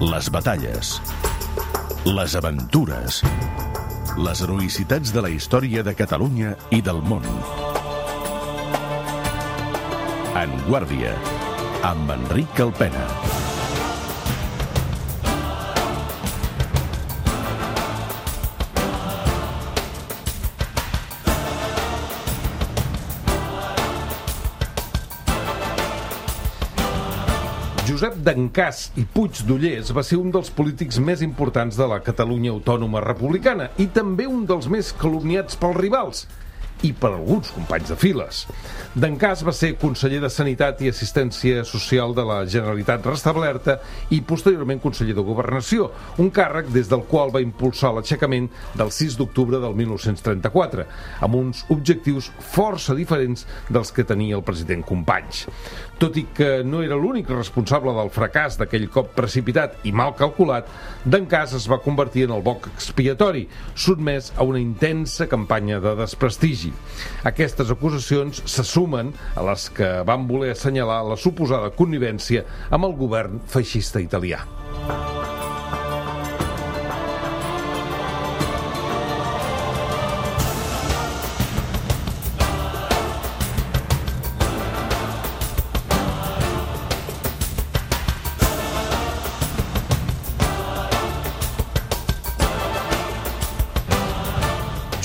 Les batalles, les aventures, les heroïcitats de la història de Catalunya i del món. En Guàrdia, amb Enric Alpena. Josep d'Encàs i Puig d'Ollers va ser un dels polítics més importants de la Catalunya autònoma republicana i també un dels més calumniats pels rivals i per alguns companys de files. D'Encàs va ser conseller de Sanitat i Assistència Social de la Generalitat restablerta i posteriorment conseller de Governació, un càrrec des del qual va impulsar l'aixecament del 6 d'octubre del 1934, amb uns objectius força diferents dels que tenia el president Companys. Tot i que no era l'únic responsable del fracàs d'aquell cop precipitat i mal calculat, d'Encàs es va convertir en el boc expiatori, sotmès a una intensa campanya de desprestigi. Aquestes acusacions se sumen a les que van voler assenyalar la suposada connivència amb el govern feixista italià.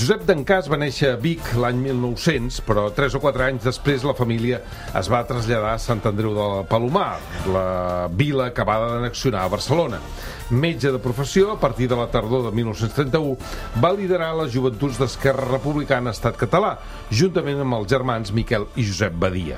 Josep d'Encàs va néixer a Vic l'any 1900, però 3 o 4 anys després la família es va traslladar a Sant Andreu de Palomar, la vila acabada d'annexionar a Barcelona. Metge de professió, a partir de la tardor de 1931, va liderar les joventuts d'Esquerra Republicana Estat Català, juntament amb els germans Miquel i Josep Badia.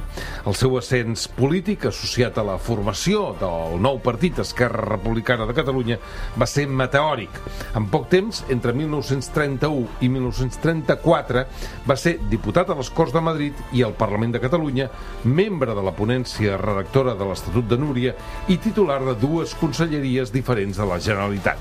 El seu ascens polític, associat a la formació del nou partit Esquerra Republicana de Catalunya, va ser meteòric. En poc temps, entre 1931 i 1934, va ser diputat a les Corts de Madrid i al Parlament de Catalunya, membre de la ponència redactora de l'Estatut de Núria i titular de 2 conselleries diferents de la Generalitat.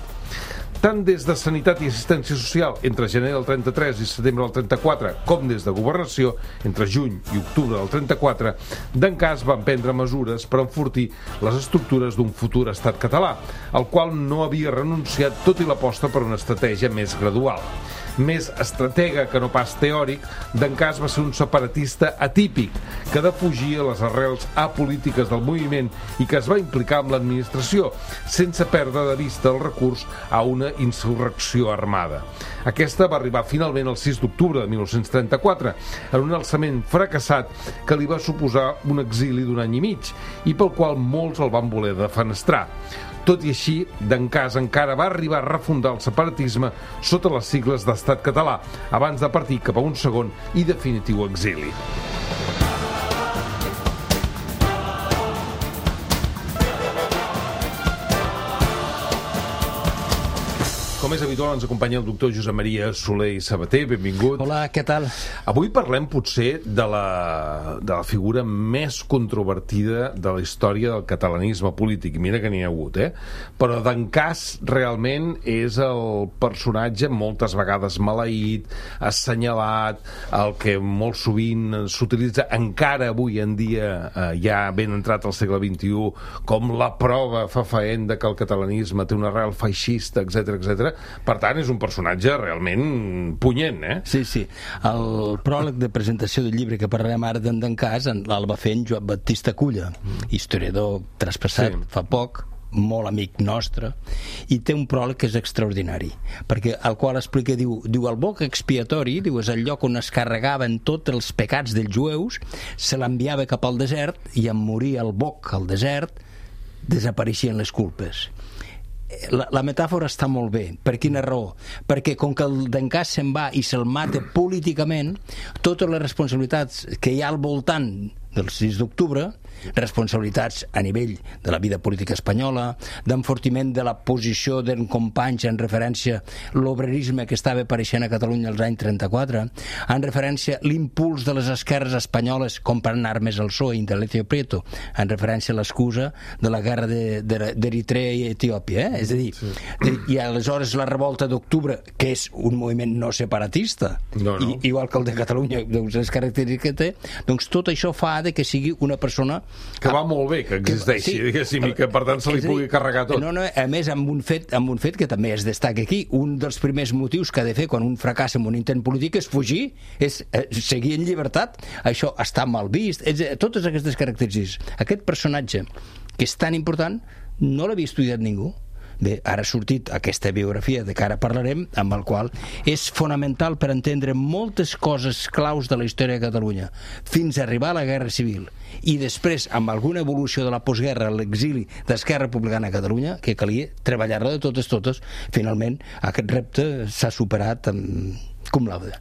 Tant des de Sanitat i Assistència Social entre gener del 33 i setembre del 34, com des de Governació entre juny i octubre del 34, d'Encàs va emprendre mesures per enfortir les estructures d'un futur estat català, al qual no havia renunciat tot i l'aposta per una estratègia més gradual. Més estratega que no pas teòric, d'Encàs va ser un separatista atípic que defugia les arrels apolítiques del moviment i que es va implicar amb l'administració, sense perdre de vista el recurs a una insurrecció armada. Aquesta va arribar finalment el 6 d'octubre de 1934, en un alçament fracassat que li va suposar un exili d'1 any i mig i pel qual molts el van voler defenestrar. Tot i així, d'Encàs encara va arribar a refundar el separatisme sota les sigles d'Estat Català, abans de partir cap a un segon i definitiu exili. Com és habitual, ens acompanya el doctor Josep Maria Soler i Sabater. Benvingut. Hola, què tal? Avui parlem potser de la figura més controvertida de la història del catalanisme polític. Mira que n'hi ha hagut, Però d'Encàs realment és el personatge moltes vegades maleït, assenyalat, el que molt sovint s'utilitza encara avui en dia, ja ben entrat al segle XXI, com la prova fefaent de que el catalanisme té una arrel feixista, etc etc. Per tant, és un personatge realment punyent, Sí. El pròleg de presentació del llibre que parlarem ara d'Encàs el va fer en Joan Baptista Culla, historiador traspassat fa poc, molt amic nostre, i té un pròleg que és extraordinari, perquè el qual explica, diu el boc expiatori, és el lloc on es carregaven tots els pecats dels jueus, se l'enviava cap al desert i en morir el boc al desert desapareixien les culpes. La metàfora està molt bé. Per quina raó? Perquè com que el d'Encàs se'n va i se'l mata políticament, totes les responsabilitats que hi ha al voltant del 6 d'octubre, responsabilitats a nivell de la vida política espanyola, d'enfortiment de la posició d'en Companys en referència a l'obrerisme que estava apareixent a Catalunya als anys 34, en referència a l'impuls de les esquerres espanyoles comprant armes al PSOE, Indalecio Prieto, en referència a l'excusa de la guerra d'Eritrea i Etiòpia, és a dir, i aleshores la revolta d'octubre, que és un moviment no separatista, igual que el de Catalunya, les característiques que té, doncs tot això fa fa de que sigui una persona... Que va molt bé, que existeixi, diguéssim, i que per tant se li pugui carregar tot. No, a més, amb un fet que també es destaca aquí. Un dels primers motius que ha de fer quan un fracassa en un intent polític és fugir, és seguir en llibertat. Això està mal vist. Totes aquestes característiques. Aquest personatge, que és tan important, no l'havia estudiat ningú. Bé, ara ha sortit aquesta biografia de que ara parlarem, amb el qual és fonamental per entendre moltes coses claus de la història de Catalunya, fins a arribar a la Guerra Civil. I després, amb alguna evolució de la postguerra, l'exili d'Esquerra Republicana a Catalunya, que calia treballar-la de totes, finalment aquest repte s'ha superat amb cum laude.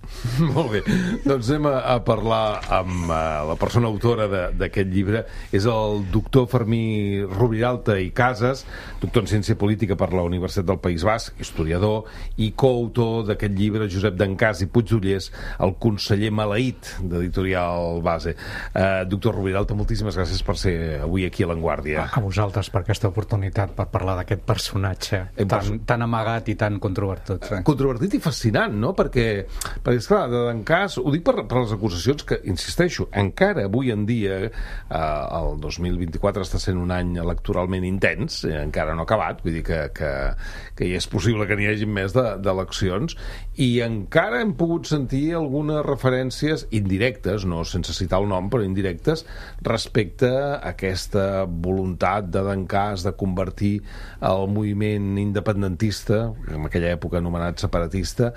Molt bé, doncs anem a parlar amb la persona autora d'aquest llibre. És el doctor Fermí Roviralta i Casas, doctor en Ciència Política per la Universitat del País Basc, historiador i coautor d'aquest llibre, Josep Dencàs i Puigdollers, el conseller maleït, d'Editorial Base. Doctor Roviralta, moltíssimes gràcies per ser avui aquí a l'Avantguàrdia. A vosaltres per aquesta oportunitat, per parlar d'aquest personatge tan amagat i tan controvertit. Controvertit i fascinant, no? Perquè esclar, de Dencàs, ho dic per les acusacions que, insisteixo, encara avui en dia el 2024 està sent un any electoralment intens, encara no ha acabat, vull dir que ja és possible que n'hi hagi més d'eleccions, i encara hem pogut sentir algunes referències indirectes, no sense citar el nom, però indirectes, respecte a aquesta voluntat de Dencàs de convertir el moviment independentista, en aquella època anomenat separatista,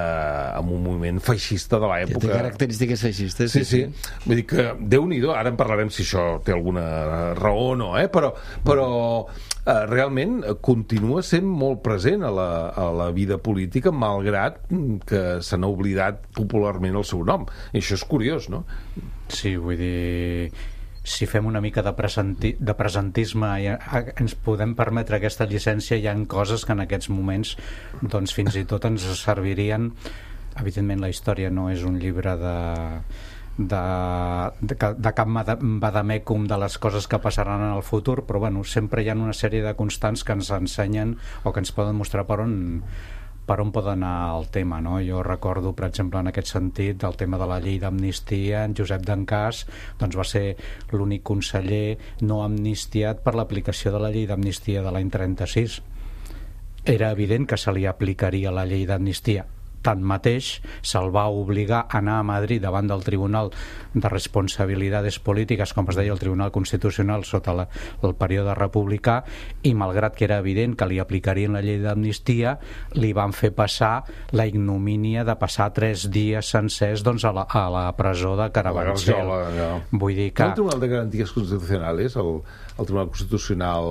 amb un moviment feixista de l'època. Té característiques feixistes. Sí. Vull dir que, Déu-n'hi-do, ara en parlarem si això té alguna raó o no, però realment continua sent molt present a la vida política, malgrat que se n'ha oblidat popularment el seu nom. I això és curiós, no? Sí, vull dir... Si fem una mica de presentisme i ens podem permetre aquesta llicència, hi ha coses que en aquests moments doncs fins i tot ens servirien. Evidentment la història no és un llibre de cap vademecum de les coses que passaran en el futur, però bueno, sempre hi ha una sèrie de constants que ens ensenyen o que ens poden mostrar per on pot anar el tema, no? Jo recordo, per exemple, en aquest sentit, el tema de la llei d'amnistia. En Josep Dencàs doncs, va ser l'únic conseller no amnistiat per l'aplicació de la llei d'amnistia de l'any 36. Era evident que se li aplicaria la llei d'amnistia. Tanmateix, se'l va obligar a anar a Madrid davant del Tribunal de Responsabilitats Polítiques, com es deia el Tribunal Constitucional sota el període republicà, i malgrat que era evident que li aplicarien la llei d'amnistia, li van fer passar la ignomínia de passar 3 dies sencers doncs, a la presó de Carabanchel. Vull dir que... El Tribunal de Garanties Constitucionals, el Tribunal Constitucional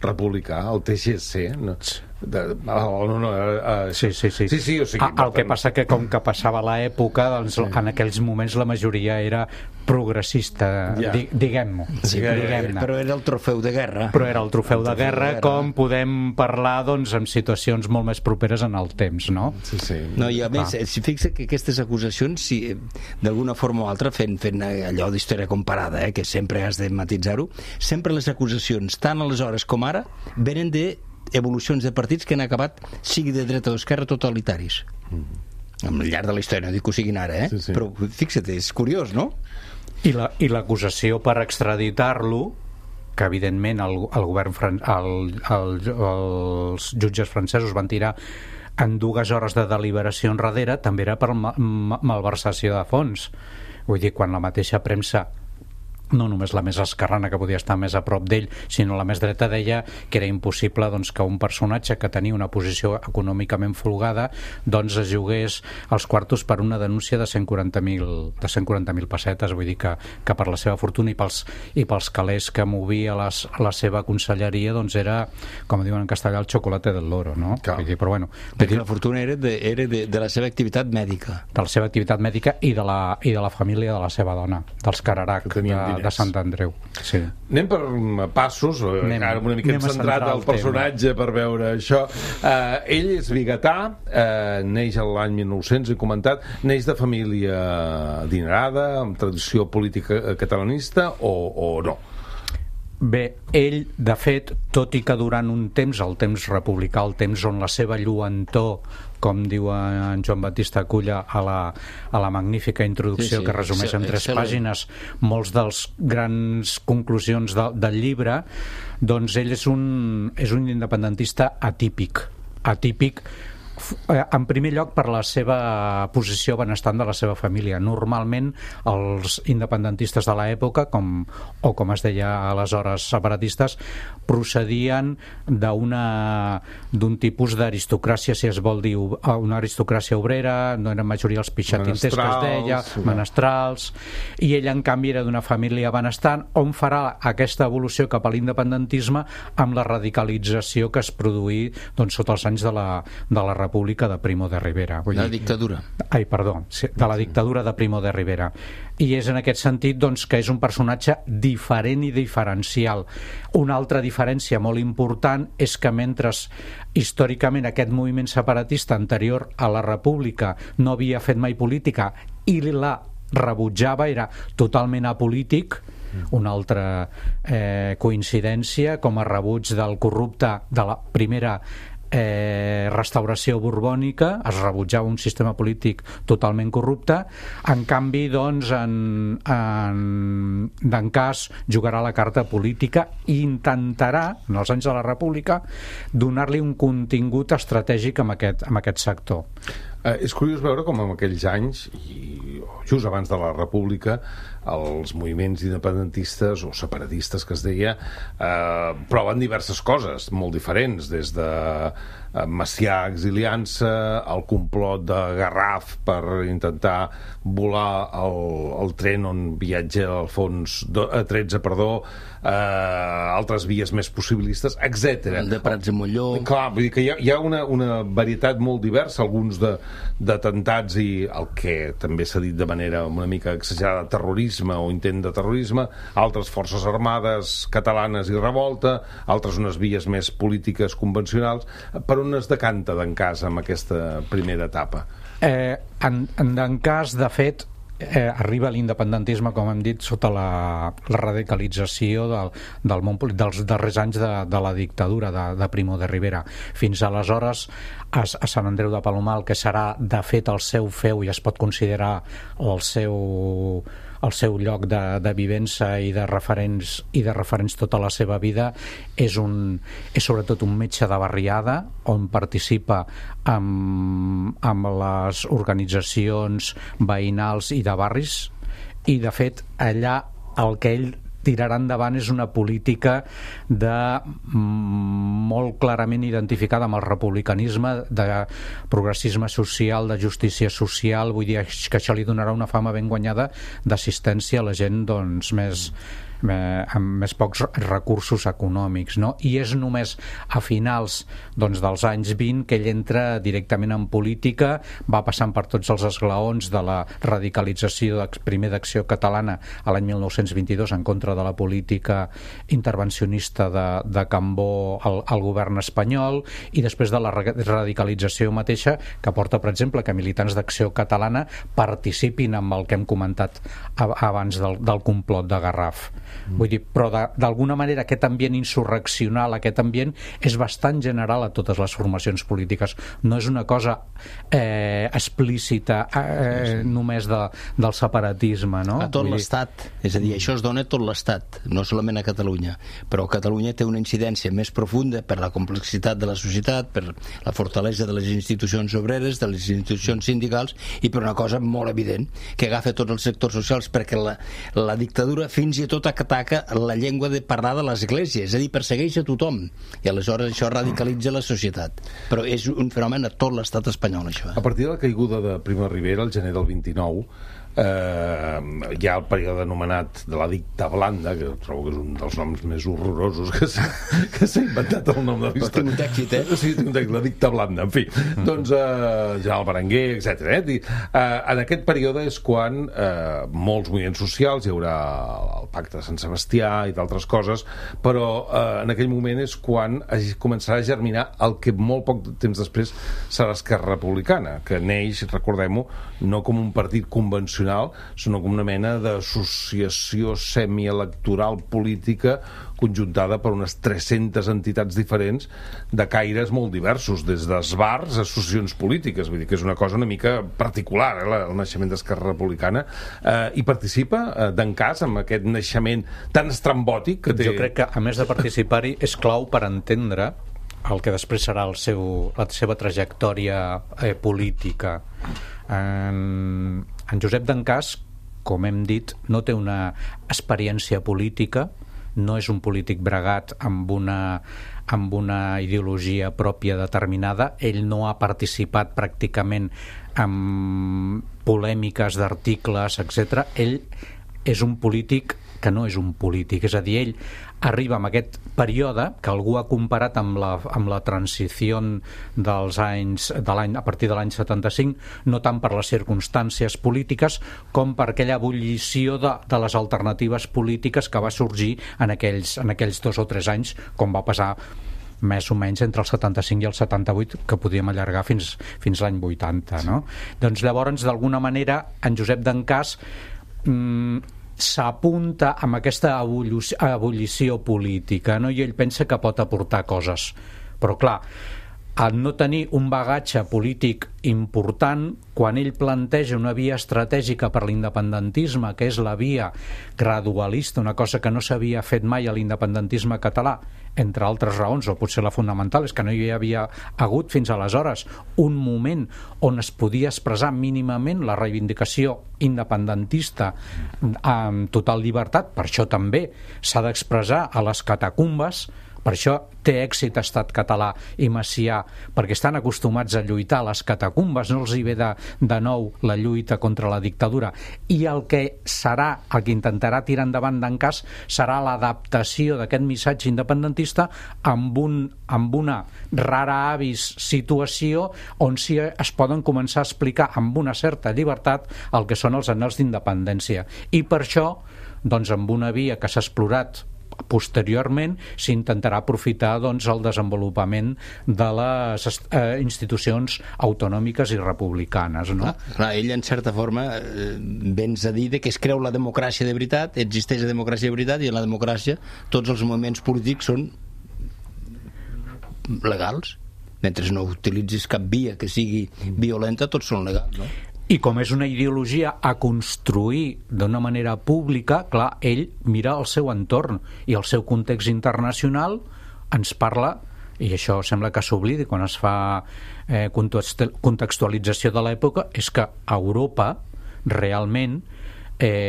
republicà, el TGC, no? Sí, o sigui, el que passa que com que passava l'època, doncs en aquells moments la majoria era progressista, diguem-ne. Però era el trofeu de guerra. Però era el trofeu de guerra, com podem parlar doncs en situacions molt més properes en el temps, no? Sí. No, i a més, si fixa que aquestes acusacions, si d'alguna forma o altra, fent allò d'història comparada, que sempre has de matisar-ho, sempre les acusacions, tant aleshores com ara, venen de evolucions de partits que han acabat, sigui de dreta o d'esquerra, totalitaris. Al llarg de la història, no dic que ho siguin ara, Sí. Però fixa't, és curiós, no? I l'acusació per extraditar-lo, que evidentment els jutges francesos van tirar en 2 hores de deliberació enrere, també era per malversació de fons. Vull dir, quan la mateixa premsa, no només la més esquerrana, que podia estar més a prop d'ell, sinó la més dreta, deia que era impossible doncs, que un personatge que tenia una posició econòmicament folgada doncs es jugués els quartos per una denúncia de 140.000 pessetes. Vull dir que per la seva fortuna i pels calés que movia la seva conselleria, doncs era, com diuen en castellà, el chocolate del loro, no? Vull dir, però bueno, perquè la fortuna era de la seva activitat mèdica. De la seva activitat mèdica i de la família de la seva dona, dels Cararac, de Sant Andreu. Sí. Anem per passos, ara una mica centrat al personatge per veure això. Ell és biguetà, neix l'any 1900, he comentat, neix de família adinerada, amb tradició política catalanista o no? Bé, ell, de fet, tot i que durant un temps, el temps republicà, el temps on la seva lluentor, com diu en Joan Baptista Culla a la magnífica introducció que resumeix en 3 pàgines molts dels grans conclusions del llibre, doncs ell és un independentista atípic, en primer lloc per la seva posició benestant de la seva família. Normalment els independentistes de l'època, com es deia aleshores separatistes, procedien d'un tipus d'aristocràcia, si es vol dir, una aristocràcia obrera, no eren majoria els pixatinters que es deia, menestrals, i ell en canvi era d'una família benestant, on farà aquesta evolució cap a l'independentisme amb la radicalització que es produí sota els anys de la República de Primo de Rivera. La dictadura. De la dictadura de Primo de Rivera. I és en aquest sentit que és un personatge diferent i diferencial. Una altra diferència molt important és que mentre històricament aquest moviment separatista anterior a la República no havia fet mai política i la rebutjava, era totalment apolític, una altra coincidència, com a rebuig del corrupte de la primera restauració borbònica, es rebutjava un sistema polític totalment corrupte. En canvi, en Dencàs jugarà la carta política i intentarà, en els anys de la República, donar-li un contingut estratègic amb aquest sector. És curiós veure com en aquells anys, just abans de la República, els moviments independentistes o separatistes que es deia proven diverses coses molt diferents, des de Macià exiliant-se, el complot de Garraf per intentar volar el tren on viatja Alfons XIII, altres vies més possibilistes, etc. El de Prats i Molló. Clar, vull dir que hi ha una varietat molt diversa, alguns d'atemptats i el que també s'ha dit de manera una mica exagerada, terrorisme o intent de terrorisme, altres forces armades catalanes i revolta, altres unes vies més polítiques convencionals. Per on es decanta Dencàs amb aquesta primera etapa? En Dencàs, de fet, arriba l'independentisme, com hem dit, sota la radicalització del món polític dels darrers anys de la dictadura de Primo de Rivera. Fins aleshores, a Sant Andreu de Palomar, el que serà de fet el seu feu i es pot considerar el seu lloc de vivència i de referents tota la seva vida, és sobretot un metge de barriada on participa amb les organitzacions veïnals i de barris, i de fet allà el que ell tirarà endavant és una política molt clarament identificada amb el republicanisme, de progressisme social, de justícia social. Vull dir que això li donarà una fama ben guanyada d'assistència a la gent amb més pocs recursos econòmics, no? I és només a finals dels anys 20 que ell entra directament en política, va passant per tots els esglaons de la radicalització primer d'Acció Catalana a l'any 1922 en contra de la política intervencionista de Cambó al govern espanyol, i després de la radicalització mateixa que porta, per exemple, que militants d'Acció Catalana participin amb el que hem comentat abans del complot de Garraf. Vull dir, però d'alguna manera aquest ambient insurreccional, aquest ambient és bastant general a totes les formacions polítiques, no és una cosa explícita només del separatisme, no? A tot l'Estat, és a dir, això es dona a tot l'Estat, no solament a Catalunya, però Catalunya té una incidència més profunda per la complexitat de la societat, per la fortalesa de les institucions obreres, de les institucions sindicals, i per una cosa molt evident, que agafa tots els sectors socials, perquè la dictadura fins i tot ataca la llengua de parlar de l'Església, és a dir, persegueix a tothom, i aleshores això radicalitza la societat. Però és un fenomen a tot l'estat espanyol, això. A partir de la caiguda de Primo de Rivera, el gener del 29, hi ha el període anomenat de la dicta blanda, que trobo que és un dels noms més horrorosos que s'ha inventat el nom de la història. Tinc un èxit, Sí, tinc un èxit, la dicta blanda, en fi. Doncs General Berenguer, etc. En aquest període és quan molts moviments socials, hi haurà el pacte de Sant Sebastià i d'altres coses, però en aquell moment és quan començarà a germinar el que molt poc temps després serà Esquerra Republicana, que neix, recordem-ho, no com un partit convencional Nacional són com una mena d'associació semielectoral política conjuntada per unes 300 entitats diferents de caires molt diversos, des d'esbars a associacions polítiques. Vull dir que és una cosa una mica particular, el naixement d'Esquerra Republicana. I participa d'encàs amb aquest naixement tan estrambòtic que té... Jo crec que, a més de participar-hi, és clau per entendre el que després serà la seva trajectòria política. En Josep d'Encàs, com hem dit, no té una experiència política, no és un polític bregat amb una ideologia pròpia determinada. Ell no ha participat pràcticament en polèmiques d'articles, etc. Ell és un polític que no és un polític, és a dir, ell arriba en aquest període que algú ha comparat amb la transició dels anys a partir de l'any 75, no tant per les circumstàncies polítiques com per aquella ebullició de les alternatives polítiques que va sorgir en aquells 2 o 3 anys, com va passar més o menys entre el 75 i el 78, que podíem allargar fins l'any 80, no? Doncs llavors, d'alguna manera, en Josep d'Encàs s'apunta amb aquesta ebullició política, no? I ell pensa que pot aportar coses, però clar, al no tenir un bagatge polític important, quan ell planteja una via estratègica per l'independentisme, que és la via gradualista, una cosa que no s'havia fet mai a l'independentisme català, entre altres raons, o potser la fonamental és que no hi havia hagut fins aleshores un moment on es podia expressar mínimament la reivindicació independentista amb total llibertat. Per això també s'ha d'expressar a les catacumbes. Per això té èxit Estat Català i Macià, perquè estan acostumats a lluitar a les catacumbes, no els hi ve de nou la lluita contra la dictadura. I el que intentarà tirar endavant d'Encàs serà l'adaptació d'aquest missatge independentista amb una rara avis situació on sí es poden començar a explicar amb una certa llibertat el que són els anhels d'independència. I per això, doncs, amb una via que s'ha explorat posteriorment, s'intentarà aprofitar el desenvolupament de les institucions autonòmiques i republicanes, no? Clar, ell en certa forma vens a dir que es creu la democràcia de veritat, existeix la democràcia de veritat, i en la democràcia tots els moviments polítics són legals. Mentre no utilitzis cap via que sigui violenta, tots són legals, no? I com és una ideologia a construir d'una manera pública, clar, ell mira el seu entorn i el seu context internacional ens parla, i això sembla que s'oblidi quan es fa contextualització de l'època, és que a Europa realment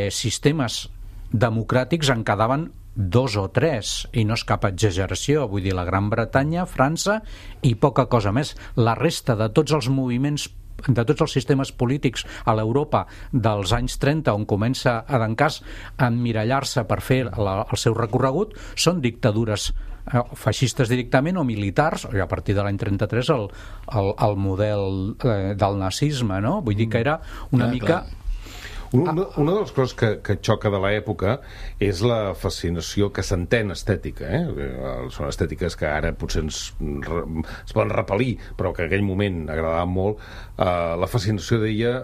sistemes democràtics en quedaven 2 o 3, i no és cap exageració. Vull dir, la Gran Bretanya, França i poca cosa més. La resta de tots els moviments, de tots els sistemes polítics a l'Europa dels anys 30, on comença a d'Encàs a emmirallar-se per fer el seu recorregut, són dictadures feixistes directament o militars, i a partir de l'any 33 el model del nazisme, no? Vull dir que era una mica... Clar. Una de les coses que xoca de l'època és la fascinació que s'entén estètica, Són estètiques que ara potser es poden repel·lir, però que en aquell moment agradaven molt, la fascinació d'ella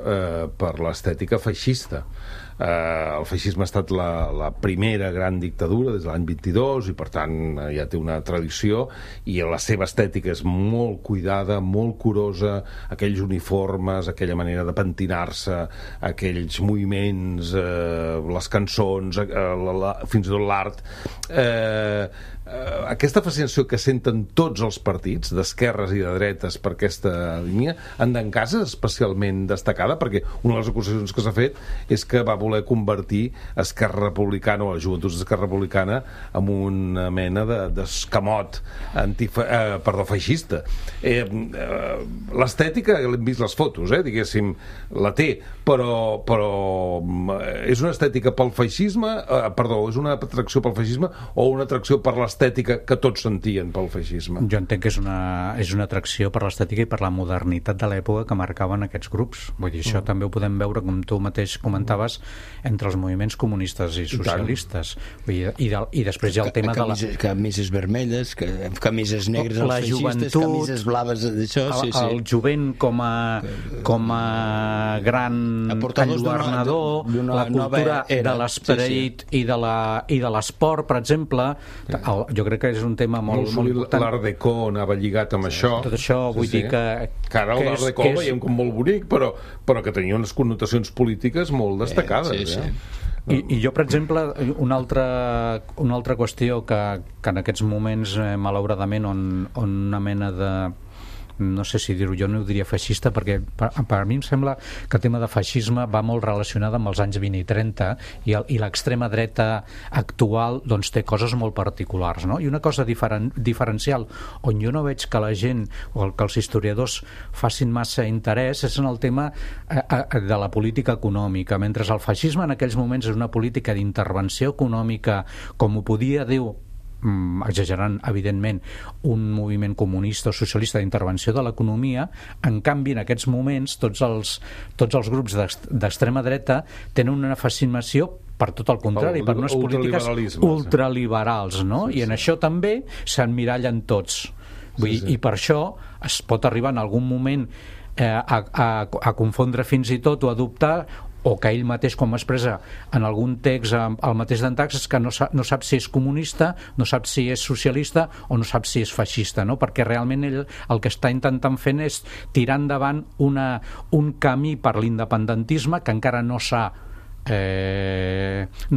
per l'estètica feixista. El feixisme ha estat la primera gran dictadura des de l'any 22 i per tant ja té una tradició, i la seva estètica és molt cuidada, molt curosa, aquells uniformes, aquella manera de pentinar-se, aquells moviments, les cançons, fins i tot l'art. Aquesta fascinació que senten tots els partits, d'esquerres i de dretes, per aquesta línia, en d'Encàs és especialment destacada, perquè una de les acusacions que s'ha fet és que va voler convertir Esquerra Republicana, o la joventut d'Esquerra Republicana, en una mena d'escamot feixista. L'estètica, l'hem vist les fotos, diguéssim, la té, però és una estètica pel feixisme, és una atracció pel feixisme o una atracció per l'estètica que tots sentien pel feixisme? Jo entenc que és una atracció per l'estètica i per la modernitat de l'època que marcaven aquests grups. Vull dir, això també ho podem veure, com tu mateix comentaves, entre els moviments comunistes i socialistes. I després hi ha el tema de la... Camises vermelles, camises negres als feixistes, camises blaves d'això... El jovent com a gran enlluernador, la cultura de l'esperit i de l'esport, per exemple. Jo crec que és un tema molt important. L'art déco anava lligat amb això. Tot això, vull dir que ara l'art déco el veiem com molt bonic, però que tenia unes connotacions polítiques molt destacades. I jo, per exemple, una altra qüestió que en aquests moments, malauradament, on una mena de... no sé si dir-ho, jo no ho diria feixista, perquè per mi em sembla que el tema de feixisme va molt relacionat amb els anys 20 i 30 i l'extrema dreta actual doncs té coses molt particulars, no? I una cosa diferencial on jo no veig que la gent o que els historiadors facin massa interès és en el tema de la política econòmica, mentre el feixisme en aquells moments és una política d'intervenció econòmica, com ho podia dir, exagerant evidentment, un moviment comunista o socialista d'intervenció de l'economia. En canvi, en aquests moments tots els grups d'extrema dreta tenen una fascinació per tot el contrari, per unes polítiques ultraliberals, no? I en això també s'emmirallen tots. I per això es pot arribar en algun moment a confondre fins i tot o adoptar, o que ell mateix, com expressa en algun text el mateix d'Antax, és que no sap si és comunista, no sap si és socialista o no sap si és feixista, no? Perquè realment ell el que està intentant fer és tirar endavant un camí per l'independentisme que encara no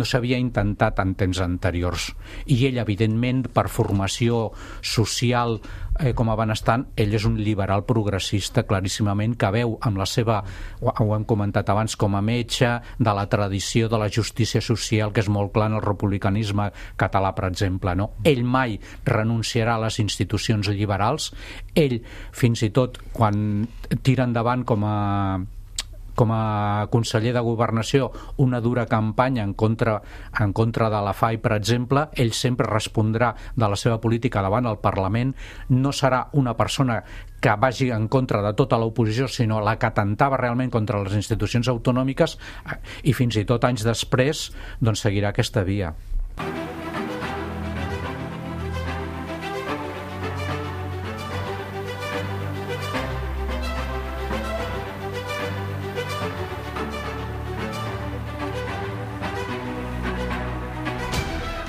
s'havia intentat en temps anteriors. I ell, evidentment, per formació social com a benestant, ell és un liberal progressista claríssimament, que veu amb la seva, ho hem comentat abans, com a metge de la tradició de la justícia social, que és molt clar en el republicanisme català, per exemple, no? Ell mai renunciarà a les institucions liberals. Ell, fins i tot, quan tira endavant com a conseller de Governació una dura campanya en contra de la FAI, per exemple, ell sempre respondrà de la seva política davant el Parlament. No serà una persona que vagi en contra de tota l'oposició, sinó la que atentava realment contra les institucions autonòmiques, i fins i tot anys després doncs seguirà aquesta via.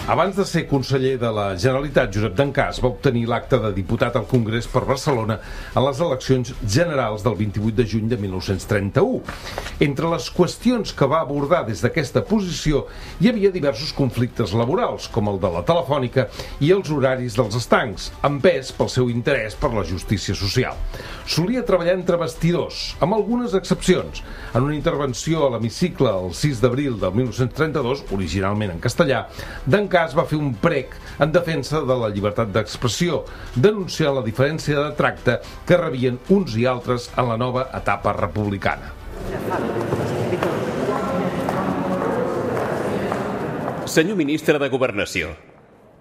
Abans de ser conseller de la Generalitat, Josep Dencàs va obtenir l'acta de diputat al Congrés per Barcelona en les eleccions generals del 28 de juny de 1931. Entre les qüestions que va abordar des d'aquesta posició hi havia diversos conflictes laborals, com el de la Telefònica i els horaris dels estancs, empès pel seu interès per la justícia social. Solia treballar entre bastidors, amb algunes excepcions. En una intervenció a l'hemicicle el 6 d'abril del 1932, originalment en castellà, Dencàs va fer un prec en defensa de la llibertat d'expressió, denunciant la diferència de tracte que rebien uns i altres en la nova etapa republicana. Senyor ministre de Governació,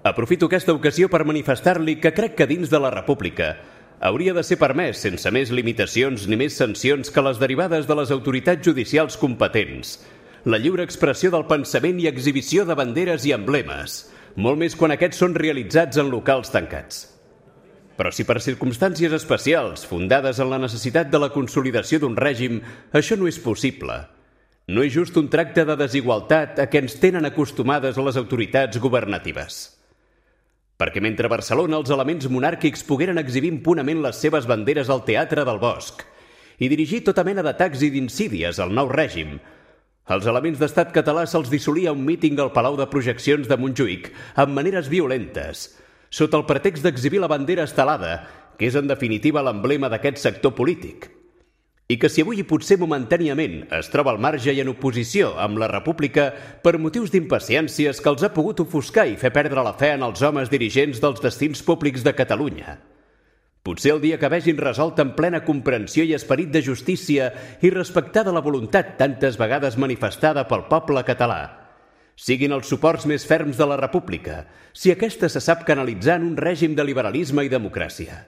aprofito aquesta ocasió per manifestar-li que crec que dins de la República hauria de ser permès, sense més limitacions ni més sancions que les derivades de les autoritats judicials competents, la lliure expressió del pensament i exhibició de banderes i emblemes, molt més quan aquests són realitzats en locals tancats. Però si per circumstàncies especials, fundades en la necessitat de la consolidació d'un règim, això no és possible, no és just un tracte de desigualtat a què ens tenen acostumades les autoritats governatives. Perquè mentre a Barcelona els elements monàrquics pogueren exhibir impunament les seves banderes al Teatre del Bosc i dirigir tota mena d'atacs i d'insídies al nou règim, als elements d'estat català se'ls dissolia un míting al Palau de Projeccions de Montjuïc amb maneres violentes, sota el pretext d'exhibir la bandera estelada, que és en definitiva l'emblema d'aquest sector polític. I que si avui potser momentàniament es troba al marge i en oposició amb la República per motius d'impaciències que els ha pogut ofuscar i fer perdre la fe en els homes dirigents dels destins públics de Catalunya. Potser el dia que vegin resolt en plena comprensió i esperit de justícia i respectada la voluntat tantes vegades manifestada pel poble català, siguin els suports més ferms de la República, si aquesta se sap canalitzar en un règim de liberalisme i democràcia.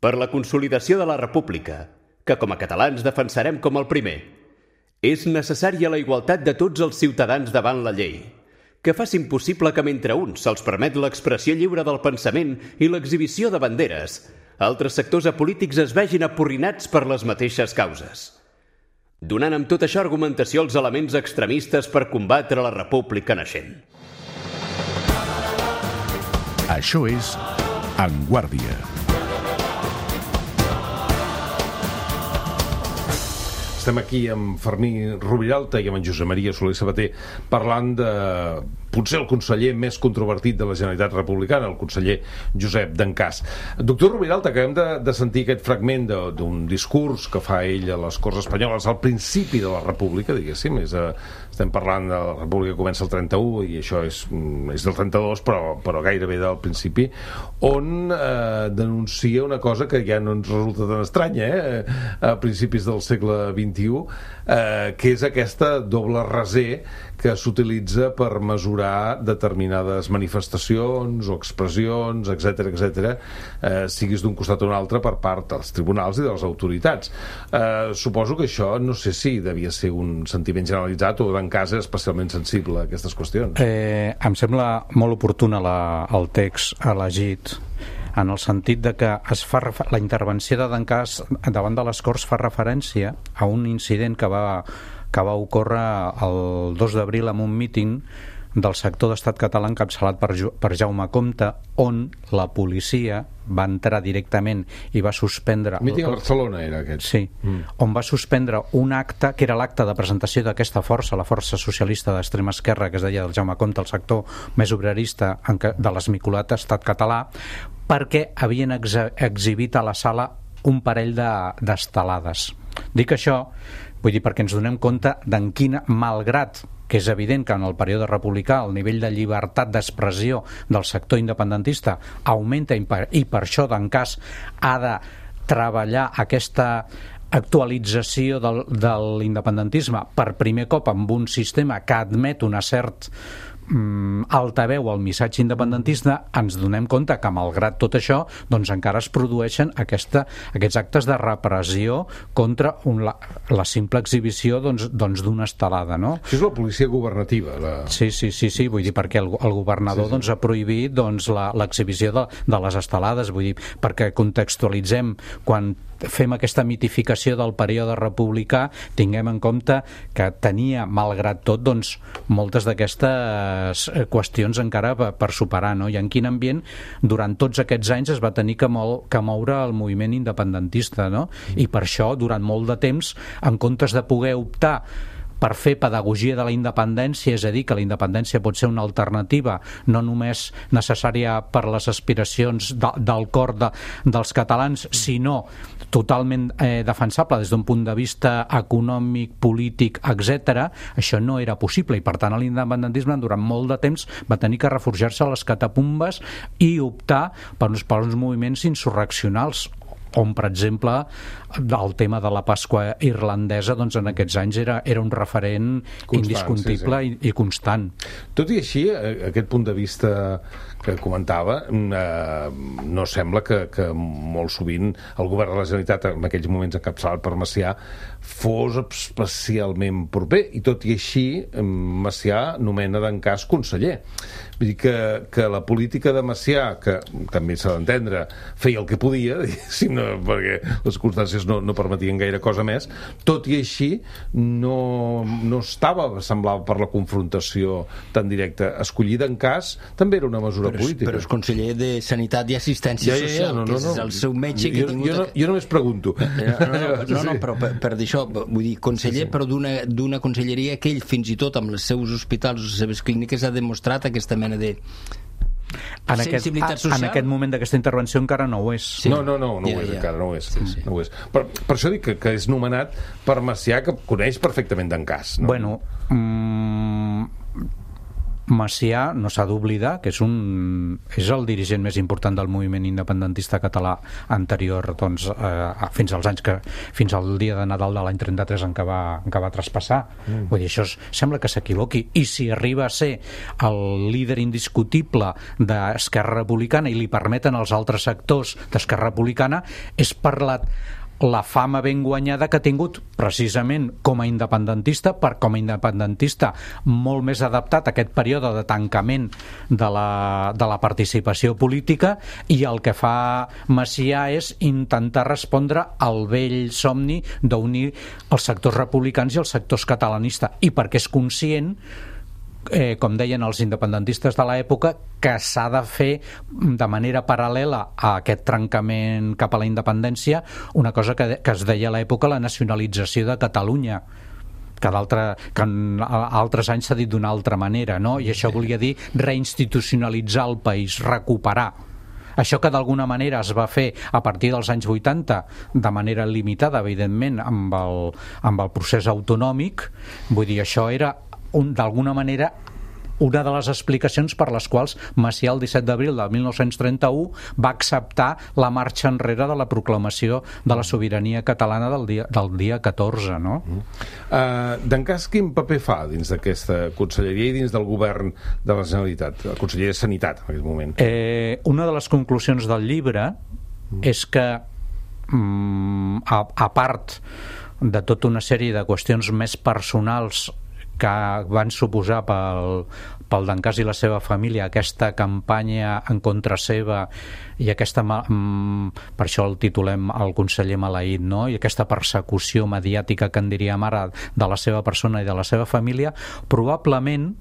Per la consolidació de la República, que com a catalans defensarem com el primer, És necessària la igualtat de tots els ciutadans davant la llei, que facin possible que mentre uns se'ls permet l'expressió lliure del pensament i l'exhibició de banderes, altres sectors apolítics es vegin apurrinats per les mateixes causes, donant amb tot això argumentació als elements extremistes per combatre la república naixent. Això és En Guàrdia. Estem aquí amb Fermí Roviralta i amb en Josep Maria Soler Sabater parlant de potser el conseller més controvertit de la Generalitat Republicana, el conseller Josep Dencàs. Doctor Roviralta, acabem de sentir aquest fragment d'un discurs que fa ell a les Corts Espanyoles al principi de la República, diguéssim. Estem parlant de la República que comença el 31 i això és del 32, però gairebé del principi, on denuncia una cosa que ja no ens resulta tan estranya, a principis del segle XXI, que és aquesta doble raser que s'utilitza per mesurar determinades manifestacions o expressions, etc., siguis d'un costat o un altre per part dels tribunals i de les autoritats. Suposo que això, no sé si devia ser un sentiment generalitzat o Dencàs és especialment sensible a aquestes qüestions. Em sembla molt oportuna el text elegit, en el sentit de que la intervenció de Dencàs davant de les Corts fa referència a un incident que va ocórrer el 2 d'abril en un míting del sector d'Estat català encapçalat per Jaume Comte, on la policia va entrar directament i va suspendre... Míting a Barcelona era aquest. Sí, on va suspendre un acte que era l'acte de presentació d'aquesta força, la força socialista d'extrema esquerra, que es deia del Jaume Comte, el sector més obrerista de l'esmicolat Estat català, perquè havien exhibit a la sala un parell d'estelades. Dic això, vull dir, perquè ens donem compte d'en quin, malgrat que és evident que en el període republicà el nivell de llibertat d'expressió del sector independentista augmenta i per això Dencàs ha de treballar aquesta actualització de l'independentisme per primer cop amb un sistema que admet una certa altaveu al missatge independentista, ens donem compte que malgrat tot això doncs encara es produeixen aquests actes de repressió contra la simple exhibició d'una estelada, no? Això és la policia governativa. Sí, vull dir, perquè el governador doncs ha prohibit l'exhibició de les estelades, vull dir, perquè contextualitzem, quan fem aquesta mitificació del període republicà, tinguem en compte que tenia, malgrat tot, doncs, moltes d'aquestes qüestions encara per superar, no? I en quin ambient durant tots aquests anys es va tenir que moure el moviment independentista, no? I per això, durant molt de temps, en comptes de poder optar per fer pedagogia de la independència, és a dir, que la independència pot ser una alternativa no només necessària per les aspiracions del cor dels catalans, sinó totalment defensable des d'un punt de vista econòmic, polític, etc., això no era possible, i per tant l'independentisme durant molt de temps va tenir que reforjar-se a les catacumbes i optar per uns moviments insurreccionals, on, per exemple, el tema de la Pasqua irlandesa, doncs en aquests anys era un referent indiscutible i constant. Tot i així, aquest punt de vista que comentava, no sembla que molt sovint el govern de la Generalitat, en aquells moments encapçalat per Macià, fos especialment proper, i tot i així Macià nomena Dencàs conseller. Vull dir que la política de Macià, que també s'ha d'entendre, feia el que podia, perquè les circumstàncies no permetien gaire cosa més, tot i així no semblava per la confrontació tan directa. Escollir Dencàs també era una mesura política. Però és conseller de Sanitat i Assistència Social, que és el seu metge que ha tingut... Jo només pregunto. No, però per d'això, vull dir, conseller, però d'una conselleria que ell, fins i tot amb els seus hospitals o les seves clíniques, ha demostrat aquesta mena de sensibilitat social. En aquest moment d'aquesta intervenció encara no ho és. Sí. No ho és, encara no ho és. Sí. No ho és. Per això dic que és nomenat per Macià, que coneix perfectament Dencàs. No? Bueno, Macià no s'ha d'oblidar que és el dirigent més important del moviment independentista català anterior, doncs, fins al dia de Nadal de l'any 33 en què va traspassar. Vull dir, això sembla que s'equivoqui, i si arriba a ser el líder indiscutible d'Esquerra Republicana i li permeten els altres sectors d'Esquerra Republicana, és per la fama ben guanyada que ha tingut precisament com a independentista, molt més adaptat a aquest període de tancament de la participació política, i el que fa Macià és intentar respondre al vell somni d'unir els sectors republicans i els sectors catalanistes, i perquè és conscient, com deien els independentistes de l'època, que s'ha de fer de manera paral·lela a aquest trencament cap a la independència una cosa que es deia a l'època la nacionalització de Catalunya, que en altres anys s'ha dit d'una altra manera, no? I això volia dir reinstitucionalitzar el país, recuperar. Això que d'alguna manera es va fer a partir dels anys 80 de manera limitada, evidentment, amb el procés autonòmic, vull dir, això era d'alguna manera una de les explicacions per les quals Macià el 17 d'abril del 1931 va acceptar la marxa enrere de la proclamació de la sobirania catalana del dia 14, no? D'Encàs, quin paper fa dins d'aquesta conselleria i dins del govern de la Generalitat, la Conselleria de Sanitat en aquest moment? Una de les conclusions del llibre és que a part de tota una sèrie de qüestions més personals que van suposar pel D'Encàs i la seva família aquesta campanya en contra seva i aquesta, per això el titulem El conseller maleït, no? I aquesta persecució mediàtica que en diríem ara de la seva persona i de la seva família, probablement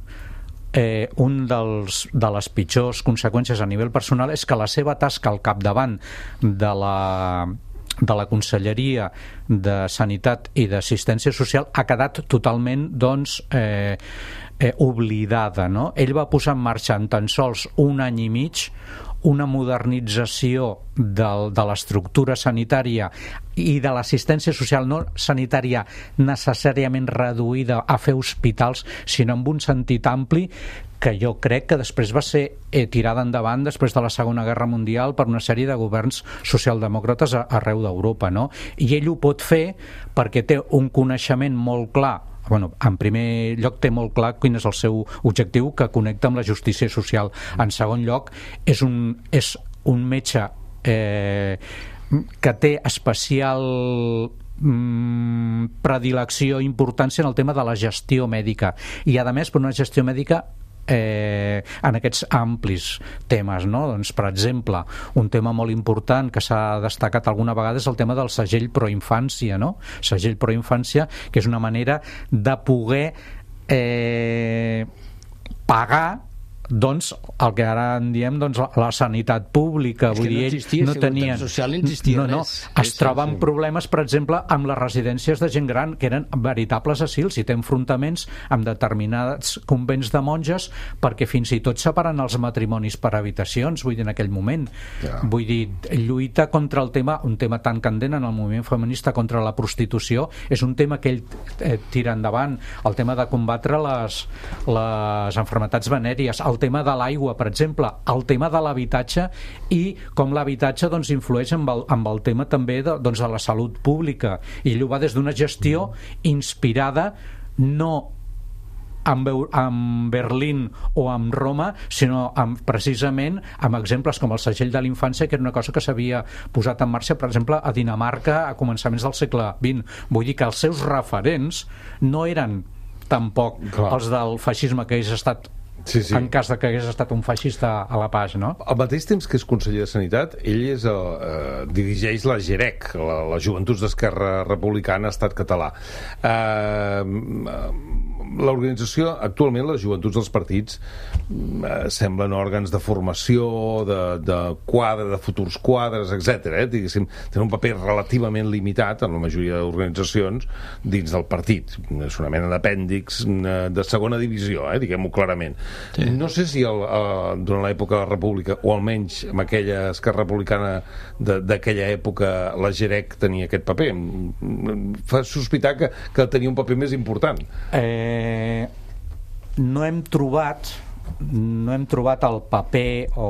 de les pitjors conseqüències a nivell personal és que la seva tasca al capdavant de la Conselleria de Sanitat i d'Assistència Social ha quedat totalment oblidada, no? Ell va posar en marxa en tan sols un any i mig una modernització de l'estructura sanitària i de l'assistència social, no sanitària necessàriament reduïda a fer hospitals, sinó en un sentit ampli, que jo crec que després va ser tirada endavant després de la Segona Guerra Mundial per una sèrie de governs socialdemòcrates arreu d'Europa, no? I ell ho pot fer perquè té un coneixement molt clar. Bueno, en primer lloc té molt clar quin és el seu objectiu, que connecta amb la justícia social. En segon lloc, és un metge que té especial predilecció i importància en el tema de la gestió mèdica, i a més per una gestió mèdica en aquests amplis temes, no? Doncs, per exemple, un tema molt important que s'ha destacat alguna vegada és el tema del segell proinfància, no? Segell proinfància, que és una manera de poder pagar, doncs, el que ara en diem, doncs, la sanitat pública. Vull dir, no tenien, es troben problemes, per exemple, amb les residències de gent gran, que eren veritables asils, i té enfrontaments amb determinats convents de monges, perquè fins i tot separen els matrimonis per habitacions, vull dir, en aquell moment. Vull dir, lluita contra el tema, un tema tan candent en el moviment feminista contra la prostitució, és un tema que ell tira endavant, el tema de combatre les enfermetats venèries, el tema de l'aigua, per exemple, el tema de l'habitatge, i com l'habitatge, doncs, influeix amb el tema també de la salut pública, i ell ho va des d'una gestió inspirada no amb Berlín o amb Roma, sinó precisament amb exemples com el segell de la infància, que era una cosa que s'havia posat en marxa, per exemple, a Dinamarca a començaments del segle XX. Vull dir que els seus referents no eren tampoc els del feixisme, que hagués estat en cas de que hagués estat un feixista a la Paz, no? Al mateix temps que és conseller de Sanitat, ell dirigeix la GEREC, la Joventuts d'Esquerra Republicana Estat Català. L'organització, actualment, les joventuts dels partits semblen òrgans de formació, de quadre, de futurs quadres, etc. Diguéssim, tenen un paper relativament limitat en la majoria d'organitzacions dins del partit. És una mena d'apèndix de segona divisió, diguem-ho clarament. Sí. No sé si durant l'època de la República, o almenys amb aquella Esquerra Republicana d'aquella època, la GEREC tenia aquest paper. Fa sospitar que tenia un paper més important. No hem trobat el paper o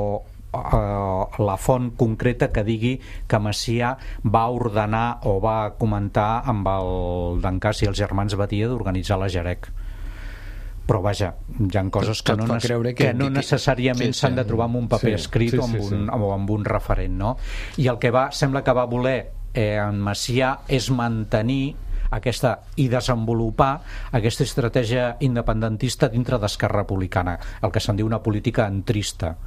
la font concreta que digui que Macià va ordenar o va comentar amb el D'Encàs i els germans Badia d'organitzar la GEREC. Però vaja, hi ha coses que no necessàriament s'han de trobar en un paper escrit o amb un referent, no? I el que sembla que va voler en Macià és mantenir i desenvolupar aquesta estratègia independentista dintre d'Esquerra Republicana, el que se'n diu una política entrista,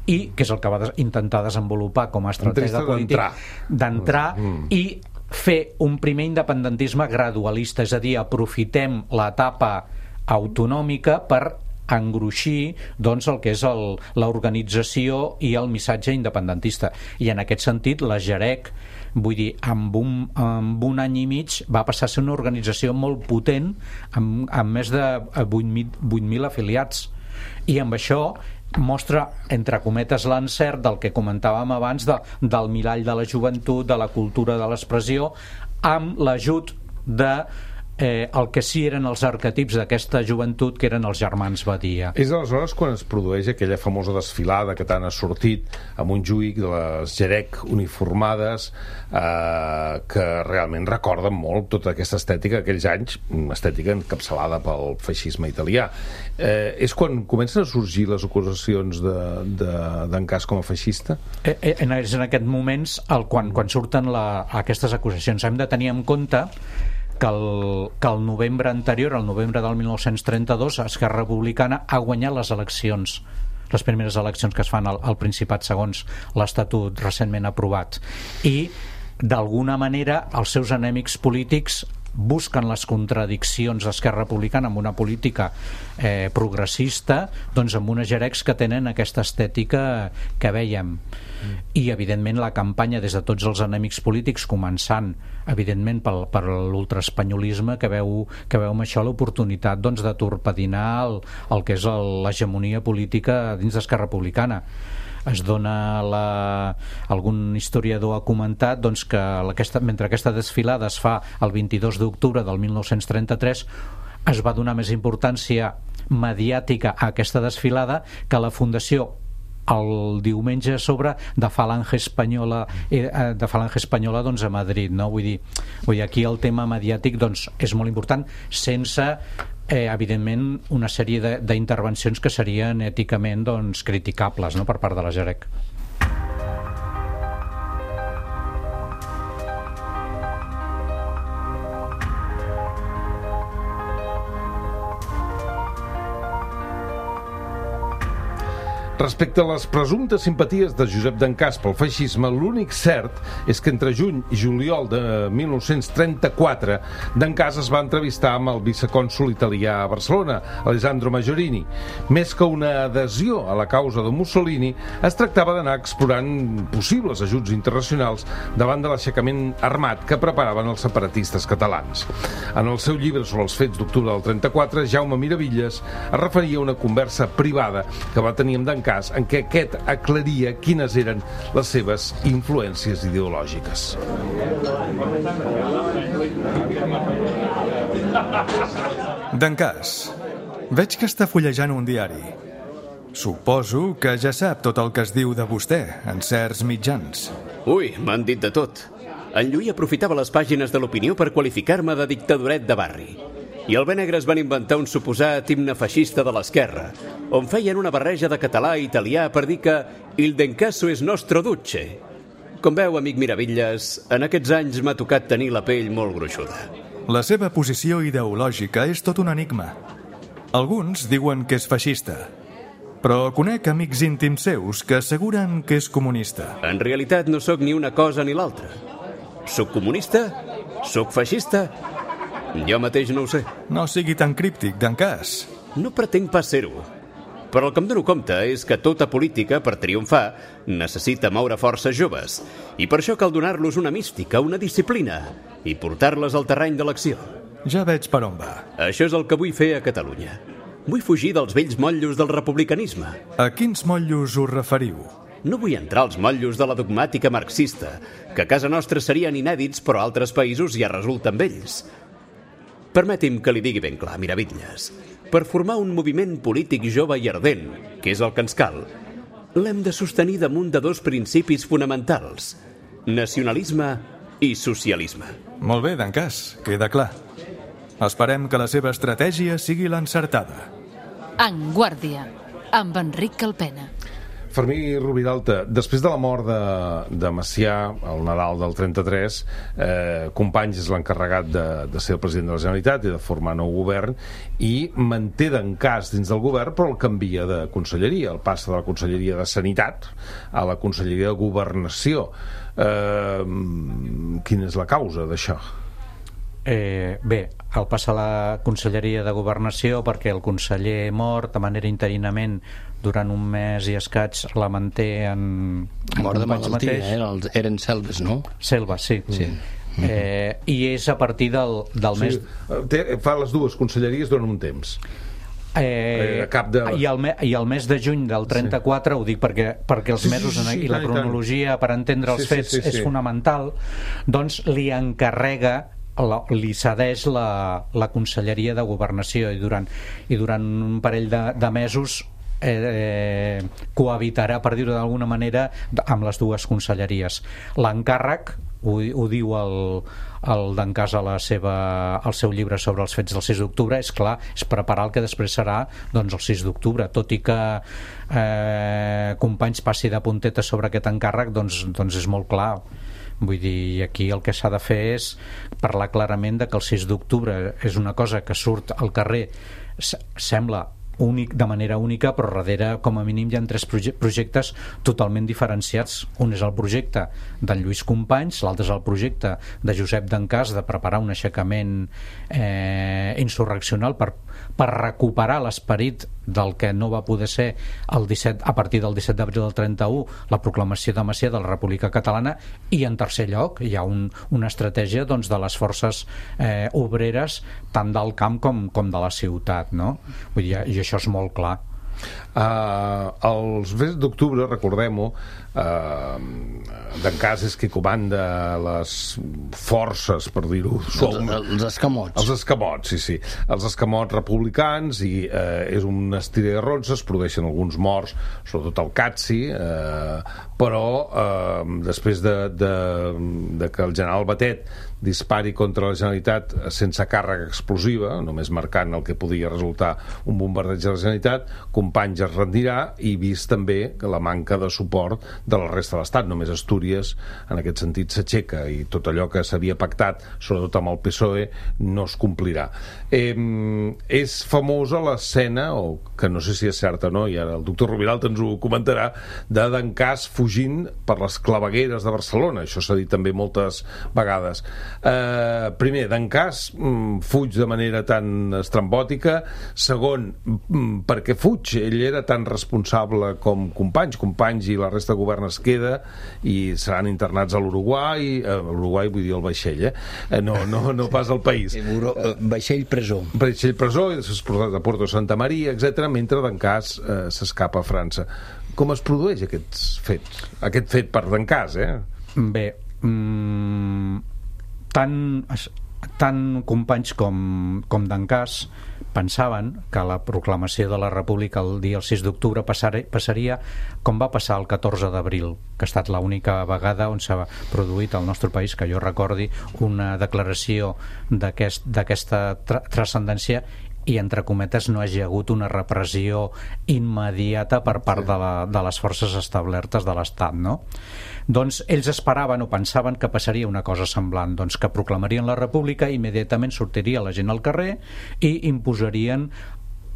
i que és el que va intentar desenvolupar com a estratègia política d'entrar i fer un primer independentisme gradualista, és a dir, aprofitem l'etapa autonòmica per engruixir doncs, el que és l'organització i el missatge independentista. I en aquest sentit la Jarec, vull dir, amb un any i mig va passar a ser una organització molt potent amb més de 8.000 afiliats, i amb això mostra, entre cometes, l'encert del que comentàvem abans del mirall de la joventut, de la cultura de l'expressió, amb l'ajut de el que sí eren els arquetips d'aquesta joventut, que eren els germans Badia. És aleshores quan es produeix aquella famosa desfilada que tant ha sortit a Montjuïc de les Jarec uniformades, que realment recorden molt tota aquesta estètica d'aquells anys, estètica encapçalada pel feixisme italià. És quan comencen a sorgir les acusacions d'Encàs com a feixista? És en aquests moments quan surten aquestes acusacions. Hem de tenir en compte que el novembre anterior, el novembre del 1932, Esquerra Republicana ha guanyat les eleccions, les primeres eleccions que es fan al Principat segons l'Estatut recentment aprovat, i d'alguna manera els seus enemics polítics busquen les contradiccions d'Esquerra Republicana amb una política progressista, doncs amb unes Jarecs que tenen aquesta estètica que vèiem. I evidentment la campanya des de tots els enemics polítics, començant evidentment per l'ultraespanyolisme, que veu amb això l'oportunitat doncs, de torpedinar el que és l'hegemonia política dins d'Esquerra Republicana. Es dona algun historiador ha comentat doncs, que mentre aquesta desfilada es fa el 22 d'octubre del 1933, es va donar més importància mediàtica a aquesta desfilada que la Fundació el diumenge a sobre de Falange Espanyola doncs, a Madrid, no? Vull dir, aquí el tema mediàtic doncs, és molt important, sense evidentment una sèrie d'intervencions que serien èticament doncs, criticables, no?, per part de la Jarec. Respecte a les presumptes simpaties de Josep d'Encàs pel feixisme, l'únic cert és que entre juny i juliol de 1934 d'Encàs es va entrevistar amb el vicecònsol italià a Barcelona, Alessandro Maggiorini. Més que una adhesió a la causa de Mussolini, es tractava d'anar explorant possibles ajuts internacionals davant de l'aixecament armat que preparaven els separatistes catalans. En el seu llibre sobre els fets d'octubre del 34, Jaume Miravitlles es referia a una conversa privada que va tenir amb D'Encàs, en què aquest aclaria quines eren les seves influències ideològiques. D'Encàs, veig que està fullejant un diari. Suposo que ja sap tot el que es diu de vostè en certs mitjans. Ui, m'han dit de tot. En Lluís aprofitava les pàgines de l'Opinió per qualificar-me de dictadoret de barri. I el Benegres van inventar un suposat himne feixista de l'esquerra, on feien una barreja de català i italià per dir que «il D'Encàs és nostro duce». Com veu, amic Miravitlles, en aquests anys m'ha tocat tenir la pell molt gruixuda. La seva posició ideològica és tot un enigma. Alguns diuen que és feixista, però conec amics íntims seus que asseguren que és comunista. En realitat no sóc ni una cosa ni l'altra. Soc comunista? Soc feixista? Jo mateix no ho sé. No sigui tan críptic, D'Encàs. No pretenc pas ser-ho. Però el que em dono compte és que tota política, per triomfar, necessita moure forces joves. I per això cal donar-los una mística, una disciplina, i portar-les al terreny de l'acció. Ja veig per on va. Això és el que vull fer a Catalunya. Vull fugir dels vells motllos del republicanisme. A quins motllos us referiu? No vull entrar als motllos de la dogmàtica marxista, que a casa nostra serien inèdits, però a altres països ja resulten vells. Permeti'm que li digui ben clar, Miravitlles. Per formar un moviment polític jove i ardent, que és el que ens cal, l'hem de sostenir damunt de dos principis fonamentals: nacionalisme i socialisme. Molt bé, D'Encàs, queda clar. Esperem que la seva estratègia sigui l'encertada. En Guàrdia, amb Enric Calpena. Fermí Rubiralta, després de la mort de Macià, al Nadal del 33, Companys és l'encarregat de ser el president de la Generalitat i de formar nou govern, i manté d'encàs dins del govern, però el canvia de conselleria, el passa de la conselleria de Sanitat a la conselleria de Governació. Quina és la causa d'això? Bé, el passa a la conselleria de Governació perquè el conseller mort de manera interinament durant un mes i escaig la manté en mort de malaltia, eren Selves, no? Selves, sí. I és a partir del mes... Fa les dues conselleries durant un temps. I el mes de juny del 34, ho dic perquè els mesos i la cronologia per entendre els fets és fonamental, doncs li encarrega, li cedeix la conselleria de Governació, i durant un parell de mesos cohabitarà, per dir-ho d'alguna manera, amb les dues conselleries. L'encàrrec, ho diu el d'Encàs al seu llibre sobre els fets del 6 d'octubre, és clar, és preparar el que després serà el 6 d'octubre, tot i que Companys passi de puntetes sobre aquest encàrrec, doncs és molt clar. Vull dir, aquí el que s'ha de fer és parlar clarament de que el 6 d'octubre és una cosa que surt al carrer, sembla únic, de manera única, però darrere com a mínim hi ha 3 projectes totalment diferenciats. Un és el projecte d'en Lluís Companys, l'altre és el projecte de Josep d'Encàs de preparar un aixecament insurreccional per recuperar l'esperit del que no va poder ser a partir del 17 d'abril del 31, la proclamació de Macià de la República Catalana. I en tercer lloc hi ha una estratègia de les forces obreres tant del camp com de la ciutat, no? Vull dir, i això és molt clar. Els mesos d'octubre, recordem-ho, d'Encàs és qui comanda les forces, per dir-ho els escamots. Els escamots, sí. Els escamots republicans, i és un estira de ronces, es produeixen alguns morts, sobretot al Catsi, però després de que el general Batet dispari contra la Generalitat sense càrrega explosiva, només marcant el que podia resultar un bombardeig de la Generalitat, Companys es rendirà, i vist també que la manca de suport de la resta de l'Estat, només Astúries en aquest sentit s'aixeca, i tot allò que s'havia pactat, sobretot amb el PSOE, no es complirà. És famosa l'escena, o que no sé si és certa o no, i ara el doctor Rubiralta ens ho comentarà, d'Encàs fugint per les clavegueres de Barcelona. Això s'ha dit també moltes vegades. Primer, d'Encàs fuig de manera tan estrambòtica. Segon, perquè fuig? Ell era tan responsable com Companys i la resta de govern es queda i seran internats a l'Uruguai, vull dir el vaixell, no pas al país. Vaixell presó, i després portat a Puerto Santa Maria, etc., mentre d'Encàs s'escapa a França. Com es produeix aquest fet per d'Encàs? Bé, tant Companys com d'Encàs pensaven que la proclamació de la República el 6 d'octubre passaria com va passar el 14 d'abril, que ha estat l'única vegada on s'ha produït al nostre país, que jo recordi, una declaració d'aquesta transcendència, i entre cometes no hagi hagut una repressió immediata per part de les forces establertes de l'Estat, no? Doncs ells esperaven o pensaven que passaria una cosa semblant, doncs que proclamarien la República, immediatament sortiria la gent al carrer i imposarien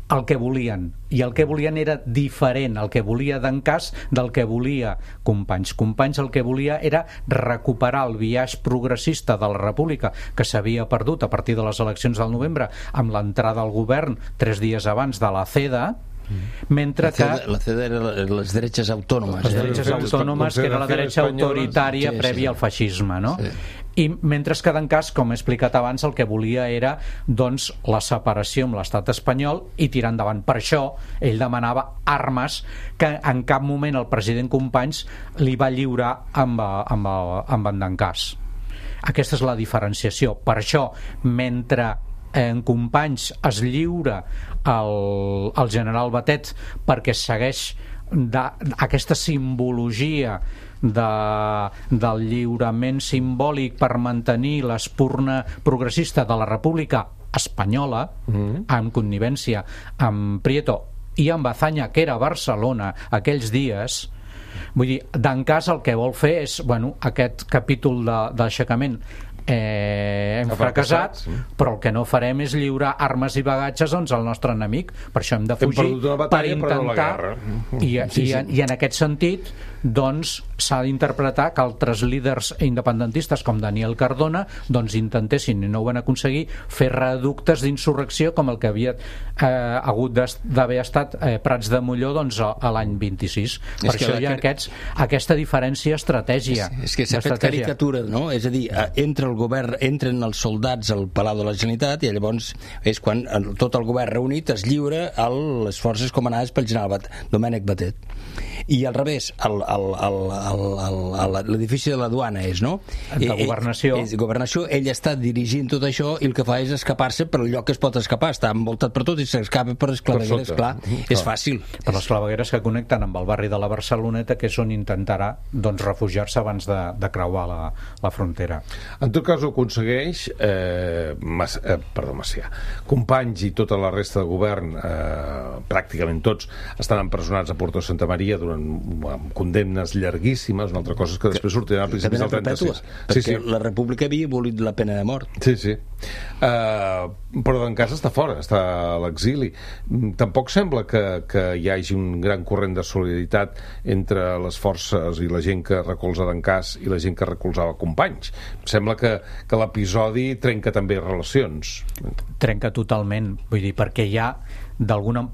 el que volien, i el que volien era diferent, el que volia d'Encàs del que volia Companys. Companys el que volia era recuperar el biaix progressista de la República que s'havia perdut a partir de les eleccions del novembre amb l'entrada al govern 3 dies abans de la CEDA, mentre que la CEDA era les dreches autònomes, que era la dreta autoritària prèvia al feixisme, no? Sí. I mentre que d'Encàs, com he explicat abans, el que volia era doncs la separació amb l'estat espanyol i tirar endavant. Per això ell demanava armes que en cap moment el president Companys li va lliurar amb en d'Encàs. Aquesta és la diferenciació. Per això, mentre en Companys es lliura al general Batet perquè segueix aquesta simbologia del lliurament simbòlic per mantenir l'espurna progressista de la República Espanyola, en connivència amb Prieto i en Bazaña, que era a Barcelona aquells dies. Vull dir, D'Encàs el que vol fer és, bueno, aquest capítol d'aixecament hem fracassat, però el que no farem és lliurar armes i bagatges al nostre enemic, per això hem de fugir per intentar, i en aquest sentit doncs s'ha d'interpretar que altres líders independentistes com Daniel Cardona doncs intentessin, i no ho van aconseguir, fer reductes d'insurrecció com el que havia hagut d'haver estat Prats de Molló doncs a l'any 26. Per això hi ha aquesta diferència estratègia. És que s'ha fet caricatura, no? És a dir, entra el govern, entren els soldats al Palau de la Generalitat i llavors és quan tot el govern reunit es lliura a les forces comandades pel general Domènec Batet. I al revés, l'edifici de la duana és, no? De governació. Governació, ell està dirigint tot això i el que fa és escapar-se per el lloc que es pot escapar, està envoltat per tot i s'escapa per les clavegueres, clar, és fàcil. Per les clavegueres que connecten amb el barri de la Barceloneta, que és on intentarà doncs refugiar-se abans de creuar la frontera. En tot cas ho aconsegueix Macià. Companys i tota la resta de govern, pràcticament tots, estan empresonats a Porto Santa Maria amb condemnes llarguíssimes. Una altra cosa és que després sortiran a principis del 36. Perquè la República havia abolit la pena de mort. Sí. Però D'Encàs està fora, està a l'exili. Tampoc sembla que hi hagi un gran corrent de solidaritat entre les forces i la gent que recolza D'Encàs i la gent que recolzava Companys. Sembla que l'episodi trenca també relacions. Trenca totalment, vull dir, perquè hi ha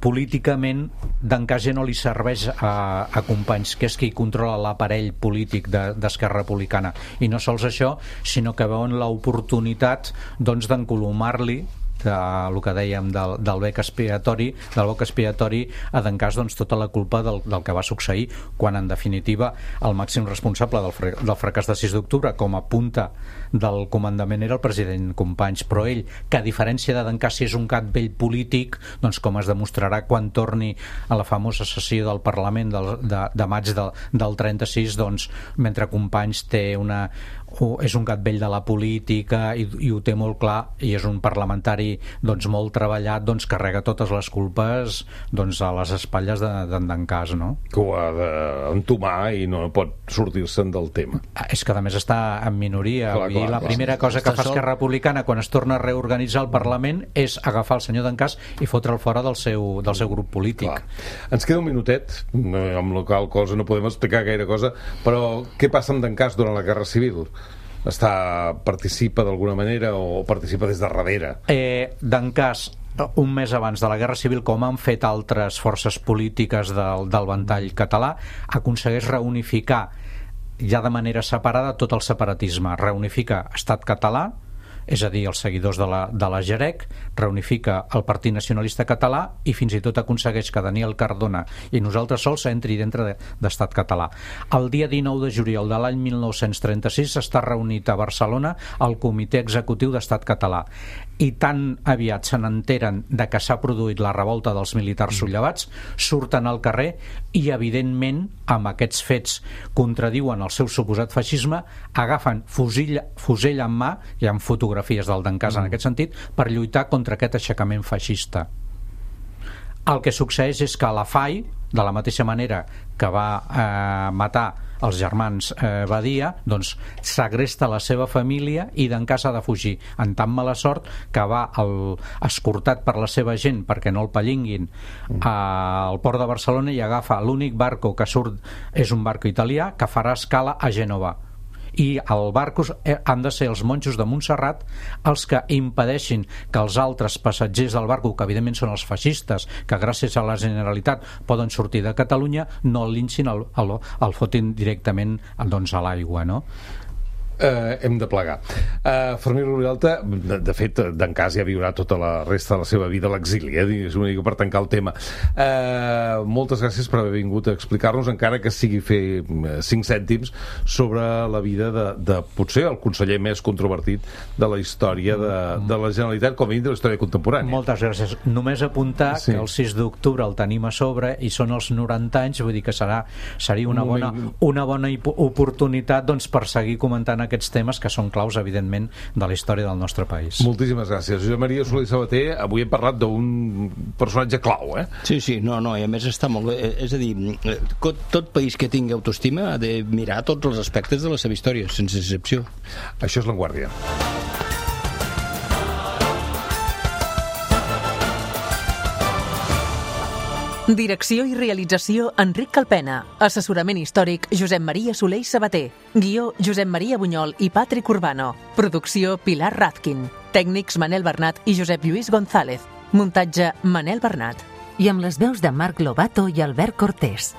políticament D'Encàs ja no li serveix a Companys, que és qui controla l'aparell polític d'Esquerra Republicana, i no sols això, sinó que veuen l'oportunitat doncs d'encolomar-li el que dèiem del bec expiatori a D'Encàs doncs tota la culpa del que va succeir, quan en definitiva el màxim responsable del fracàs de 6 d'octubre com a punta del comandament era el president Companys, però ell, que a diferència de D'Encàs si és un gat vell polític, doncs com es demostrarà quan torni a la famosa sessió del Parlament de maig del 36, doncs mentre Companys és un gat vell de la política i ho té molt clar, i és un parlamentari doncs molt treballat, doncs carrega totes les culpes doncs a les espatlles d'Encàs, no? Que ho ha d'entomar i no pot sortir-se'n del tema. És que a més està en minoria. La primera cosa que fa Esquerra Republicana quan es torna a reorganitzar el Parlament és agafar el senyor D'Encàs i fotre'l fora del seu grup polític. Clar. Ens queda un minutet, amb la qual cosa no podem explicar gaire cosa, però què passa amb D'Encàs durant la Guerra Civil? Participa d'alguna manera o participa des de darrere? D'Encàs, un mes abans de la Guerra Civil, com han fet altres forces polítiques del ventall català, aconsegueix reunificar ja de manera separada tot el separatisme. Reunifica Estat Català, és a dir, els seguidors de la Jerec, reunifica el Partit Nacionalista Català i fins i tot aconsegueix que Daniel Cardona i nosaltres sols entri dintre d'Estat Català. El dia 19 de juliol de l'any 1936 està reunit a Barcelona el Comitè Executiu d'Estat Català, i tan aviat se n'enteren de que s'ha produït la revolta dels militars sullevats, surten al carrer i evidentment amb aquests fets contradiuen el seu suposat feixisme, agafen fusell en mà, hi ha fotografies del D'Encàs en aquest sentit, per lluitar contra aquest aixecament feixista. El que succeeix és que la FAI, de la mateixa manera que va matar els germans Badia, doncs segresta la seva família i D'Encàs ha de fugir, en tan mala sort que va escortat per la seva gent perquè no el pellinguin al port de Barcelona i agafa l'únic barco que surt, és un barco italià que farà escala a Gènova, i el barco han de ser els monjos de Montserrat els que impedeixin que els altres passatgers del barco, que evidentment són els feixistes que gràcies a la Generalitat poden sortir de Catalunya, no el linxin, el fotin directament doncs, a l'aigua, no? Hem de plegar. Fermí Rubialta, de fet, D'Encàs ja viurà tota la resta de la seva vida a l'exili, és una mica per tancar el tema. Moltes gràcies per haver vingut a explicar-nos, encara que sigui fer 5 cèntims sobre la vida de potser el conseller més controvertit de la història de la Generalitat, com a mínim de la història contemporània. Moltes gràcies. Només apuntar que el 6 d'octubre el tenim a sobre i són els 90 anys, vull dir que seria una bona oportunitat doncs, per seguir comentant aquests temes que són claus, evidentment, de la història del nostre país. Moltíssimes gràcies. Josep Maria Soler i Sabater, avui hem parlat d'un personatge clau, eh? Sí, no, i a més està molt bé. És a dir, tot país que tingui autoestima ha de mirar tots els aspectes de la seva història, sense excepció. Això és La Guàrdia. Direcció i realització Enric Calpena. Assessorament històric Josep Maria Soler i Sabater. Guió Josep Maria Bunyol i Patrick Urbano. Producció Pilar Razkin. Tècnics Manel Bernat i Josep Lluís González. Muntatge Manel Bernat. I amb les veus de Marc Lobato i Albert Cortés.